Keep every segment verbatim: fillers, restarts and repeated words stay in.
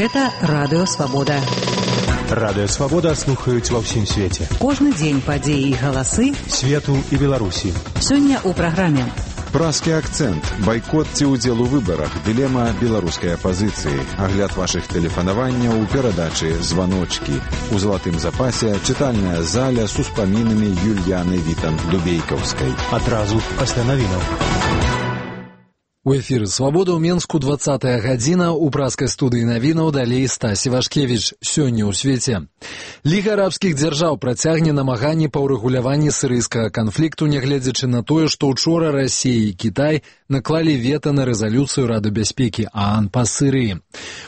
Гэта Радыё Свабода. Радыё Свабода слухаюць ва ўсім свеце. Кожны дзень падзеі і галасы свету і Беларусі. Сёння ў праграме Празкі акцэнт, байкот ці ўдзел у выбарах, дылема беларускай апазіцыі, агляд вашых тэлефанаванняў у перадачы «Званочкі». У залатым запасе чытальная заля з успамінамі Юльяны Вітан-Дубейкаўскай. Адразу пасля навінаў. У эфіры «Свабода» ў Менску двадцатая гадзіна, у празкай студыі навінаў далей Стась Івашкевіч. Сёння ў свеце. Ліга арабскіх дзяржаў працягне намаганні па ўрэгуляванні сірыйскага канфлікту, нягледзячы на тое, што ўчора Расія і Кітай наклалі вета на рэзалюцыю Рады бяспекі ААН па Сірыі.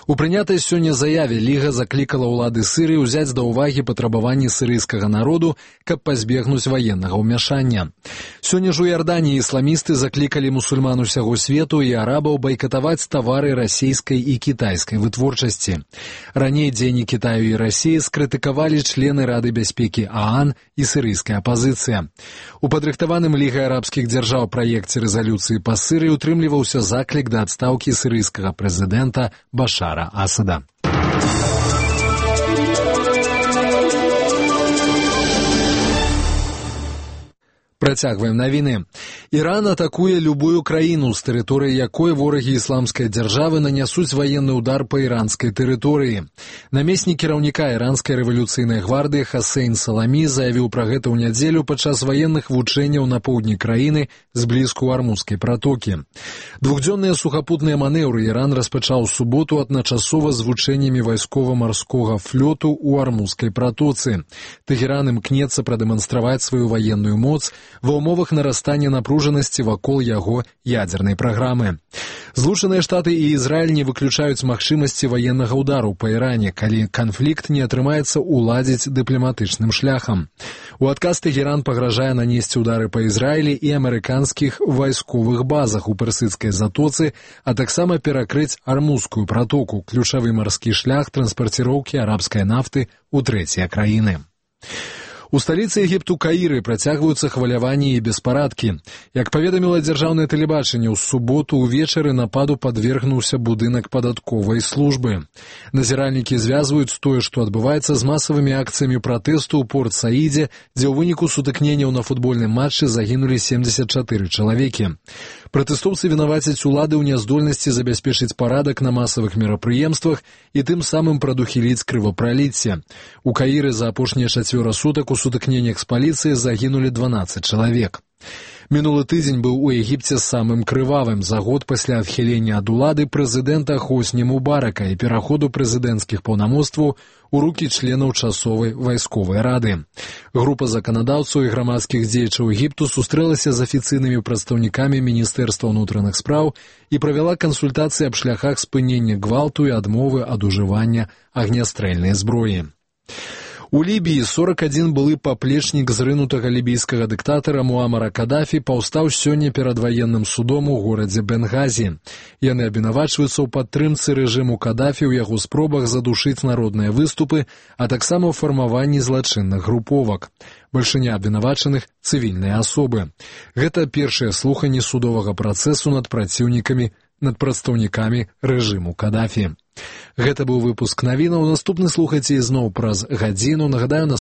У прынятай сёння заяве Ліга заклікала ўлады Сірыі ўзяць да ўвагі патрабаванні сірыйскага народу, каб пазбегнуць ваеннага ўмяшання. Сёння ж у Іорданіі ісламісты заклікалі мусульман усяго свету і арабаў байкатаваць тавары расійскай і кітайскай вытворчасці. Раней дзеянні Кітаю і Расіі скрытыкавалі члены Рады бяспекі ААН і сірыйская апазіцыя. У падрыхтаваным Лігай арабскіх дзяржаў праекце рэзалюцыі па Сірыі утрымліваўся заклік да адстаўкі сірыйскага прэзідэнта Башара Асада. Працягваем навіны. Іран атакуе любую краіну, з тэрыторыі якой ворагі ісламскай дзяржавы нанясуць военны удар па іранскай тэрыторыі. Намеснік кіраўніка іранскай рэвалюцыйнай гвардыі Хасейн Саламі заявіў пра гэта ў нядзелю падчас ваенных вучэнняў на поўдні краіны зблізку Армузскай пратокі. Двухдзённыя сухапутныя манеўры Іран распачаў у суботу адначасова з вучэннямі вайскова-марскога флёту ў Армузскай пратоцы. Тэхеран імкнецца прадэманстраваць сваю ваенную моц ва ўмовах нарастання напружанасці вакол яго ядзернай праграмы. Злучаныя Штаты і Ізраіль не выключаюць магчымасці ваеннага ўдару па Іране, калі канфлікт не атрымаецца уладзіць дыпламатычным шляхам. У адказ Тэхеран пагражае нанесці ўдары па Ізраілі і амерыканскіх вайсковых базах у персідскай затоцы, а таксама перакрыць Армузскую пратоку, ключавы марскі шлях транспарціроўкі арабскай нафты ў трэція краіны. У сталіцы Егіпту Каіры працягваюцца хваляванні і беспарадкі. Як паведаміла дзяржаўнае тэлебачанне, ў суботу ўвечары нападу падвергнуўся будынак падатковай службы. Назіральнікі звязваюць тое, што адбываецца з масавымі акцыямі пратэсту ў Порт-Саідзе, дзе ў выніку сутыкненняў на футбольным матчы загінулі семдзесят чатыры чалавекі. Пратэстоўцы вінавацяць улады ў няздольнасці забяспечыць парадак на масавых мерапрыемствах і тым самым прадухіліць крывапраліцце. У Каіры за апошнія чацвёра сутак у сутыкненнях з паліцыяй загінулі дванаццаць чалавек. Мінулы тыдзень быў у Егіпце самым крывавым за год пасля адхілення ад улады прэзідэнта Хосні Мубарака і пераходу прэзідэнцкіх паўнамоцтваў у рукі членаў часовай вайсковай рады. Група заканадаўцаў і грамадскіх дзеячаў Егіпту сустрэлася з афіцыйнымі прадстаўнікамі Міністэрства ўнутраных спраў і правяла кансультацыі аб шляхах спынення гвалту і адмовы ад ужывання агнястрэльнай зброі. У Лібіі сорок адзін былы паплечнік зрынутага лібійскага дыктатара Муамара Кадафі паўстаў сёння перад ваенным судом у горадзе Бенгазі. Яны абвінавачваюцца ў падтрымцы рэжыму Кадафі ў яго спробах задушыць народныя выступы, а таксама ў фармаванні злачынных груповак. Бальшыня абвінавачаных – цывільныя асобы. Гэта першыя слуханні судовага працэсу над праціўнікамі, над прадстаўнікамі рэжыму Кадафі. Гэта быў выпуск навінаў. Наступны слухайце ізноў праз гадзіну. Нагадаю, на